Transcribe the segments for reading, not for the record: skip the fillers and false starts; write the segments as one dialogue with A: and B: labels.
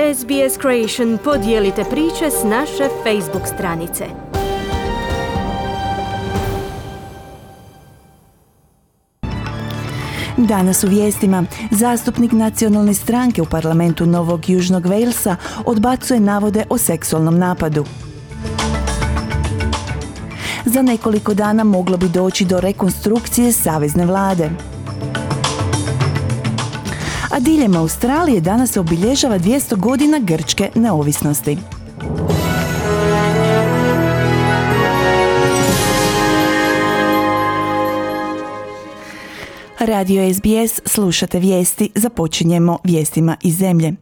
A: SBS Creation podijelite priče s naše Facebook stranice.
B: Danas u vijestima zastupnik nacionalne stranke u parlamentu Novog Južnog Walesa odbacuje navode o seksualnom napadu. Za nekoliko dana moglo bi doći do rekonstrukcije savezne vlade. A diljem Australije danas se obilježava 200 godina grčke neovisnosti. Radio SBS, slušate vijesti, započinjemo vijestima iz zemlje.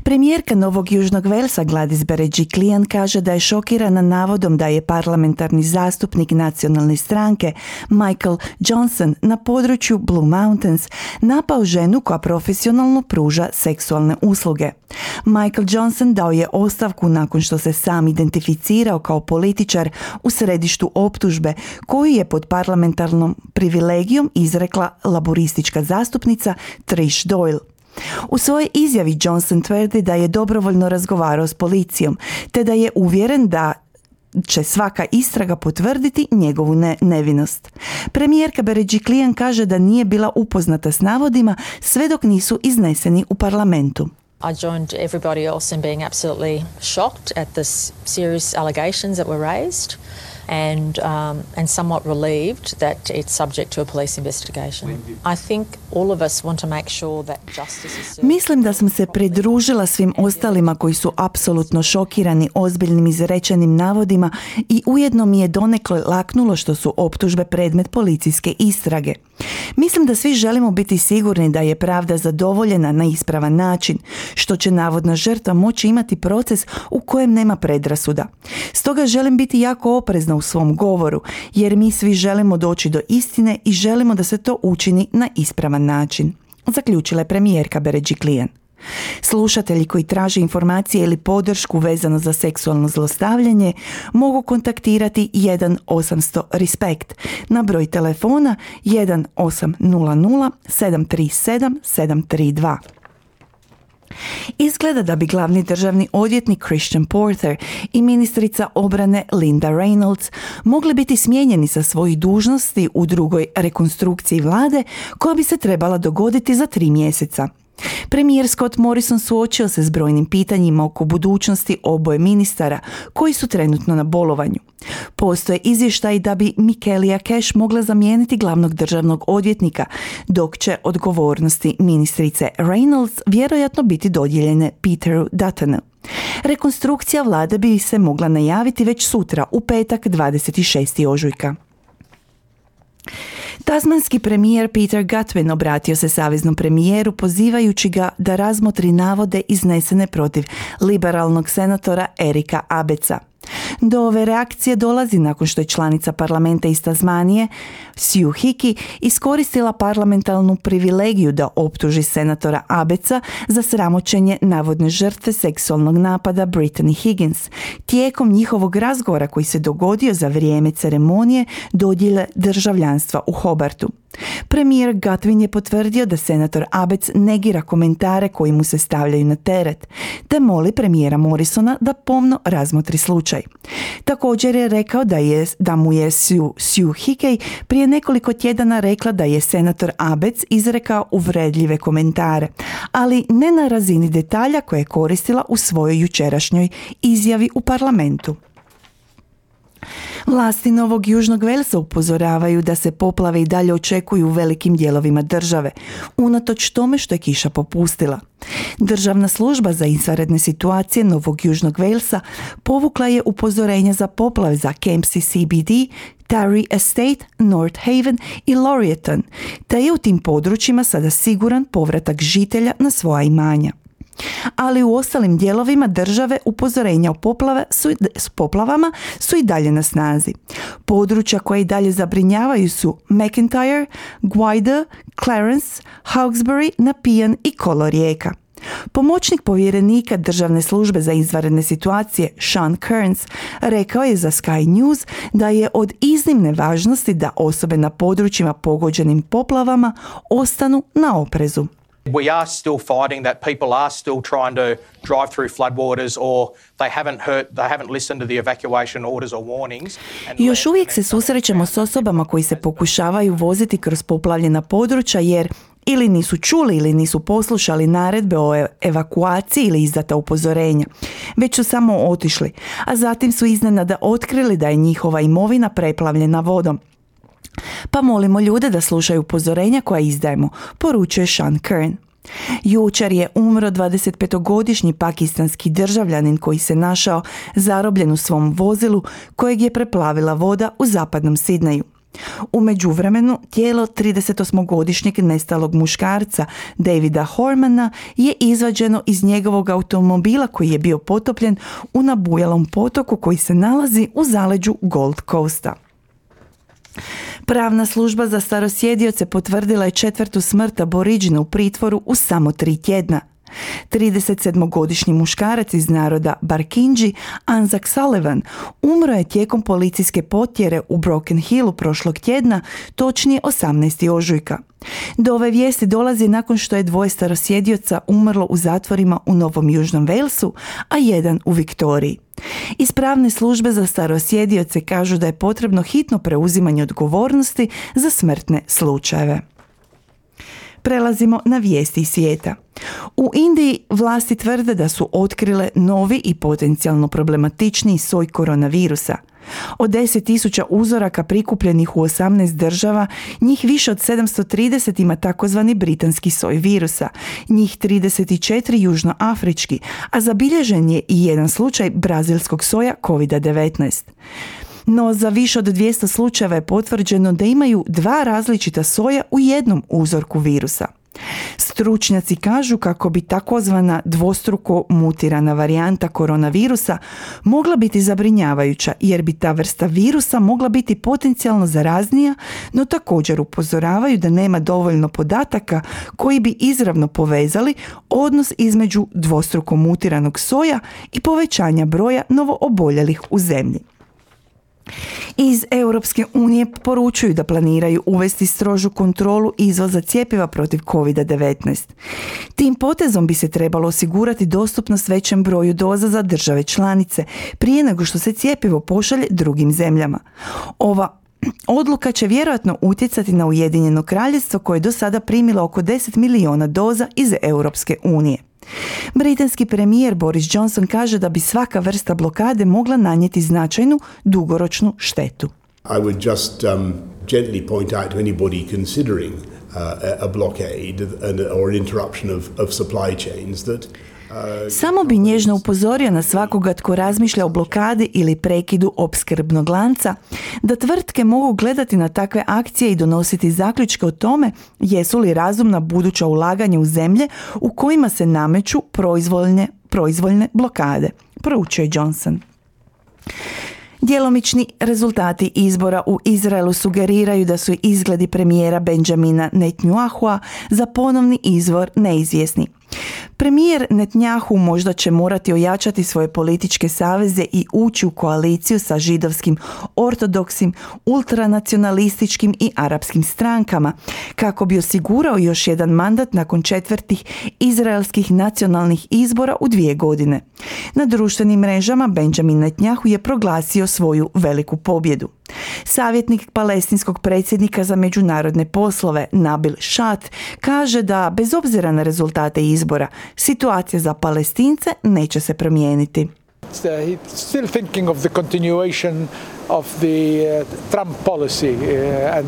B: Premijerka Novog Južnog Walesa Gladys Berejiklian kaže da je šokirana navodom da je parlamentarni zastupnik nacionalne stranke Michael Johnson na području Blue Mountains napao ženu koja profesionalno pruža seksualne usluge. Michael Johnson dao je ostavku nakon što se sam identificirao kao političar u središtu optužbe koju je pod parlamentarnom privilegijom izrekla laboristička zastupnica Trish Doyle. U svojoj izjavi Johnson tvrdi da je dobrovoljno razgovarao s policijom, te da je uvjeren da će svaka istraga potvrditi njegovu nevinost. Premijerka Berejiklian kaže da nije bila upoznata s navodima sve dok nisu izneseni u parlamentu.
C: I joined everybody else in being absolutely shocked at the serious allegations that were raised and somewhat relieved that it's subject to a police investigation. I think all of us want to make sure that justice is served.
B: Mislim da sam se pridružila svim ostalima koji su apsolutno šokirani ozbiljnim izrečenim navodima i ujedno mi je donekle laknulo što su optužbe predmet policijske istrage. Mislim da svi želimo biti sigurni da je pravda zadovoljena na ispravan način, što će navodna žrtva moći imati proces u kojem nema predrasuda. Stoga želim biti jako oprezna u svom govoru, jer mi svi želimo doći do istine i želimo da se to učini na ispravan način, zaključila je premijerka Berejiklian. Slušatelji koji traže informacije ili podršku vezano za seksualno zlostavljanje mogu kontaktirati 1-800-RESPECT na broj telefona 1-800 737 732. Izgleda da bi glavni državni odvjetnik Christian Porter i ministrica obrane Linda Reynolds mogli biti smijenjeni sa svojih dužnosti u drugoj rekonstrukciji vlade koja bi se trebala dogoditi za 3 mjeseca. Premijer Scott Morrison suočio se s brojnim pitanjima oko budućnosti oboje ministara koji su trenutno na bolovanju. Postoje izvještaji da bi Michaelia Cash mogla zamijeniti glavnog državnog odvjetnika, dok će odgovornosti ministrice Reynolds vjerojatno biti dodijeljene Peteru Duttonu. Rekonstrukcija vlade bi se mogla najaviti već sutra u petak 26. ožujka. Tasmanski premijer Peter Gutwein obratio se saveznom premijeru pozivajući ga da razmotri navode iznesene protiv liberalnog senatora Erika Abeca. Do ove reakcije dolazi nakon što je članica parlamenta iz Tasmanije, Sue Hickey, iskoristila parlamentarnu privilegiju da optuži senatora Abeca za sramoćenje navodne žrtve seksualnog napada Brittany Higgins tijekom njihovog razgovora koji se dogodio za vrijeme ceremonije dodjele državljanstva u Hobartu. Premijer Gutwein je potvrdio da senator Abec negira komentare koji mu se stavljaju na teret, te moli premijera Morrisona da pomno razmotri slučaj. Također je rekao da mu je Sue Hickey prije nekoliko tjedana rekla da je senator Abec izrekao uvredljive komentare, ali ne na razini detalja koje je koristila u svojoj jučerašnjoj izjavi u parlamentu. Vlasti Novog Južnog Walesa upozoravaju da se poplave i dalje očekuju u velikim dijelovima države, unatoč tome što je kiša popustila. Državna služba za izvanredne situacije Novog Južnog Walesa povukla je upozorenja za poplave za Kempsey CBD, Taree Estate, North Haven i Laurieton, te je u tim područjima sada siguran povratak žitelja na svoja imanja. Ali u ostalim dijelovima države upozorenja o poplavama su i dalje na snazi. Područja koje i dalje zabrinjavaju su McIntyre, Gwyde, Clarence, Hawkesbury, Nepean i Kolorijeka. Pomoćnik povjerenika Državne službe za izvanredne situacije Sean Kearns rekao je za Sky News da je od iznimne važnosti da osobe na područjima pogođenim poplavama ostanu na oprezu.
D: We are still fighting that. People are still trying to drive through floodwaters, or they haven't listened to the evacuation orders or warnings.
B: Još uvijek se susrećemo s osobama koji se pokušavaju voziti kroz poplavljena područja jer ili nisu čuli ili nisu poslušali naredbe o evakuaciji ili izdata upozorenja, već su samo otišli, a zatim su iznenada otkrili da je njihova imovina preplavljena vodom. Pa molimo ljude da slušaju upozorenja koja izdajemo, poručuje Sean Kern. Jučer je umro 25-godišnji pakistanski državljanin koji se našao zarobljen u svom vozilu kojeg je preplavila voda u zapadnom Sidneju. U međuvremenu, tijelo 38-godišnjeg nestalog muškarca Davida Hormana je izvađeno iz njegovog automobila koji je bio potopljen u nabujalom potoku koji se nalazi u zaleđu Gold Coasta. Pravna služba za starosjedioce potvrdila je 4. smrt Aboriđina u pritvoru u samo 3 tjedna. 37-godišnji muškarac iz naroda Barkindji, Anzac Sullivan, umro je tijekom policijske potjere u Broken Hillu prošlog tjedna, točnije 18. ožujka. Do ove vijesti dolazi nakon što je 2 starosjedioca umrlo u zatvorima u Novom Južnom Walesu, a 1 u Viktoriji. Iz pravne službe za starosjedioce kažu da je potrebno hitno preuzimanje odgovornosti za smrtne slučajeve. Prelazimo na vijesti iz svijeta. U Indiji vlasti tvrde da su otkrile novi i potencijalno problematičniji soj koronavirusa. Od 10.000 uzoraka prikupljenih u 18 država, njih više od 730 ima takozvani britanski soj virusa, njih 34 južnoafrički, a zabilježen je i jedan slučaj brazilskog soja COVID-19. No za više od 200 slučajeva je potvrđeno da imaju 2 različita soja u jednom uzorku virusa. Stručnjaci kažu kako bi takozvana dvostruko mutirana varijanta koronavirusa mogla biti zabrinjavajuća jer bi ta vrsta virusa mogla biti potencijalno zaraznija, no također upozoravaju da nema dovoljno podataka koji bi izravno povezali odnos između dvostruko mutiranog soja i povećanja broja novooboljelih u zemlji. Iz Europske unije poručuju da planiraju uvesti strožu kontrolu izvoza cjepiva protiv COVID-19. Tim potezom bi se trebalo osigurati dostupnost većem broju doza za države članice prije nego što se cjepivo pošalje drugim zemljama. Ova odluka će vjerojatno utjecati na Ujedinjeno Kraljevstvo koje je do sada primilo oko 10 milijuna doza iz Europske unije. Britanski premijer Boris Johnson kaže da bi svaka vrsta blokade mogla nanijeti značajnu dugoročnu štetu.
E: I would just gently point out to anybody considering a blockade or an interruption of supply chains that
B: Samo bi nježno upozorio na svakoga tko razmišlja o blokadi ili prekidu opskrbnog lanca, da tvrtke mogu gledati na takve akcije i donositi zaključke o tome jesu li razumna buduća ulaganja u zemlje u kojima se nameću proizvoljne blokade, poručuje Johnson. Djelomični rezultati izbora u Izraelu sugeriraju da su izgledi premijera Benjamina Netanyahua za ponovni izbor neizvjesni. Premijer Netanyahu možda će morati ojačati svoje političke saveze i ući u koaliciju sa židovskim, ortodokskim, ultranacionalističkim i arapskim strankama, kako bi osigurao još jedan mandat nakon 4. izraelskih nacionalnih izbora u 2 godine. Na društvenim mrežama Benjamin Netanyahu je proglasio svoju veliku pobjedu. Savjetnik palestinskog predsjednika za međunarodne poslove Nabil Shat kaže da bez obzira na rezultate izbora, situacija za Palestince neće se promijeniti.
F: He's still thinking of the continuation of the Trump policy and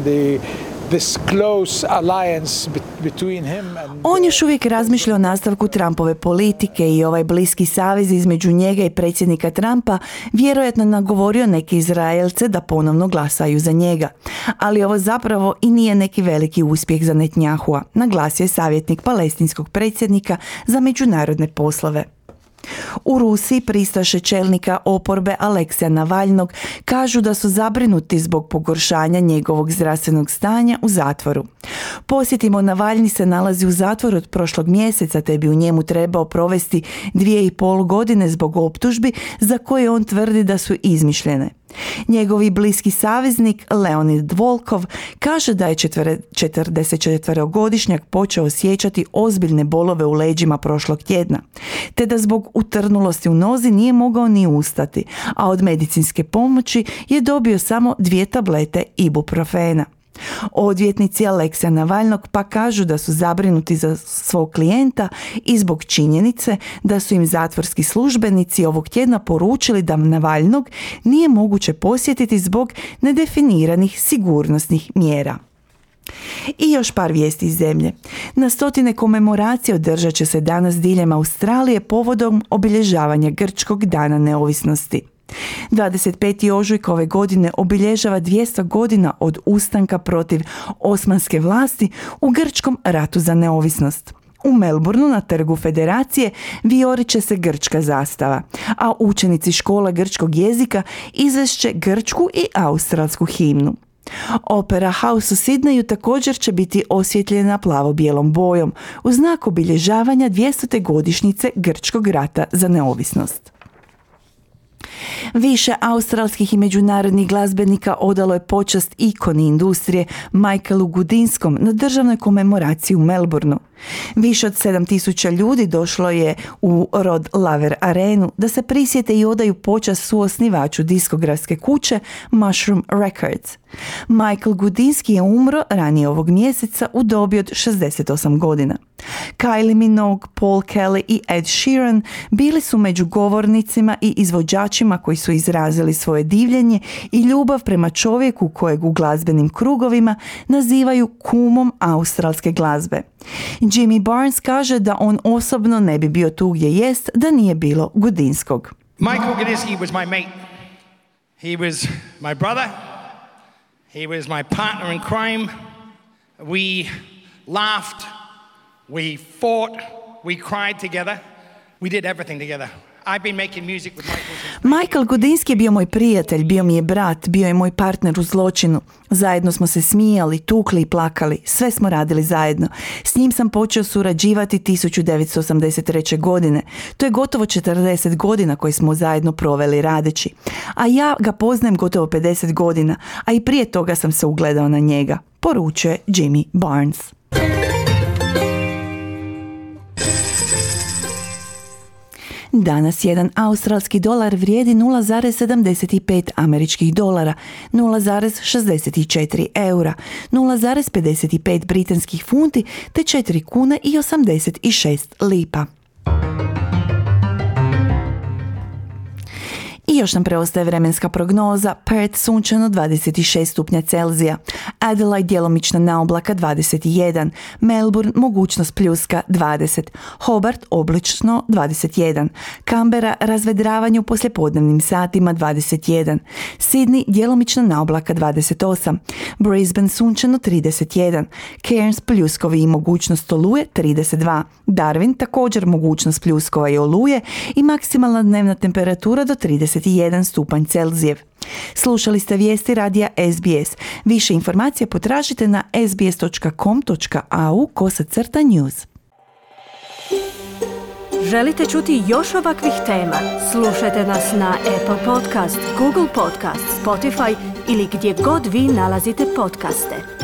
F: this close alliance between him and
B: On još uvijek razmišlja o nastavku Trumpove politike i ovaj bliski savez između njega i predsjednika Trumpa vjerojatno nagovorio neke Izraelce da ponovno glasaju za njega. Ali ovo zapravo i nije neki veliki uspjeh za Netanyahua, naglasio je savjetnik palestinskog predsjednika za međunarodne poslove. U Rusiji pristaše čelnika oporbe Aleksija Navalnog kažu da su zabrinuti zbog pogoršanja njegovog zdravstvenog stanja u zatvoru. Podsjetimo, Navalni se nalazi u zatvoru od prošlog mjeseca te bi u njemu trebao provesti 2,5 godine zbog optužbi za koje on tvrdi da su izmišljene. Njegovi bliski saveznik Leonid Volkov kaže da je 44-godišnjak počeo osjećati ozbiljne bolove u leđima prošlog tjedna, te da zbog utrnulosti u nozi nije mogao ni ustati, a od medicinske pomoći je dobio samo 2 tablete ibuprofena. Odvjetnici Aleksija Navalnog pa kažu da su zabrinuti za svog klijenta i zbog činjenice da su im zatvorski službenici ovog tjedna poručili da Navalnog nije moguće posjetiti zbog nedefiniranih sigurnosnih mjera. I još par vijesti iz zemlje. Na stotine komemoracije održat će se danas diljem Australije povodom obilježavanja Grčkog dana neovisnosti. 25. ožujka ove godine obilježava 200 godina od ustanka protiv osmanske vlasti u Grčkom ratu za neovisnost. U Melbourneu na trgu Federacije vijorit će se grčka zastava, a učenici škola grčkog jezika izvest će grčku i australsku himnu. Opera House u Sidneju također će biti osvjetljena plavo-bijelom bojom u znak obilježavanja 200. godišnjice Grčkog rata za neovisnost. Više australskih i međunarodnih glazbenika odalo je počast ikoni industrije Michaelu Goudinskom na državnoj komemoraciji u Melbourneu. Više od 7.000 ljudi došlo je u Rod Laver Arenu da se prisjete i odaju počast suosnivaču diskografske kuće Mushroom Records. Michael Goudinski je umro ranije ovog mjeseca u dobi od 68 godina. Kylie Minogue, Paul Kelly i Ed Sheeran bili su među govornicima i izvođačima koji su izrazili svoje divljenje i ljubav prema čovjeku kojeg u glazbenim krugovima nazivaju kumom australske glazbe. Jimmy Barnes kaže da on osobno ne bi bio tu gdje jest da nije bilo Goudinskog.
G: Michael Gudinski was my mate. He was my brother. He was my partner in crime. We laughed. We fought. We cried together. We did everything together. I've been making music with
B: Michael Goudinski je bio moj prijatelj, bio mi je brat, bio je moj partner u zločinu. Zajedno smo se smijali, tukli i plakali, sve smo radili zajedno. S njim sam počeo surađivati 1983. godine. To je gotovo 40 godina koje smo zajedno proveli radeći. A ja ga poznajem gotovo 50 godina, a i prije toga sam se ugledao na njega, poručuje Jimmy Barnes. Danas jedan australski dolar vrijedi 0,75 američkih dolara, 0,64 eura, 0,55 britanskih funti te 4 kune i 86 lipa. I još nam preostaje vremenska prognoza. Perth sunčano 26 stupnja Celzija, Adelaide djelomična naoblaka 21, Melbourne mogućnost pljuska 20, Hobart oblačno 21, Canberra razvedravanje u poslijepodnevnim satima 21, Sydney djelomična naoblaka 28, Brisbane sunčano 31, Cairns pljuskovi i mogućnost oluje 32, Darwin također mogućnost pljuskova i oluje i maksimalna dnevna temperatura do 31 stupanj Celzijev. Slušali ste vijesti radija SBS. Više informacija potražite na sbs.com.au/news.
A: Želite čuti još ovakvih tema? Slušajte nas na Apple Podcast, Google Podcast, Spotify ili gdje god vi nalazite podcaste.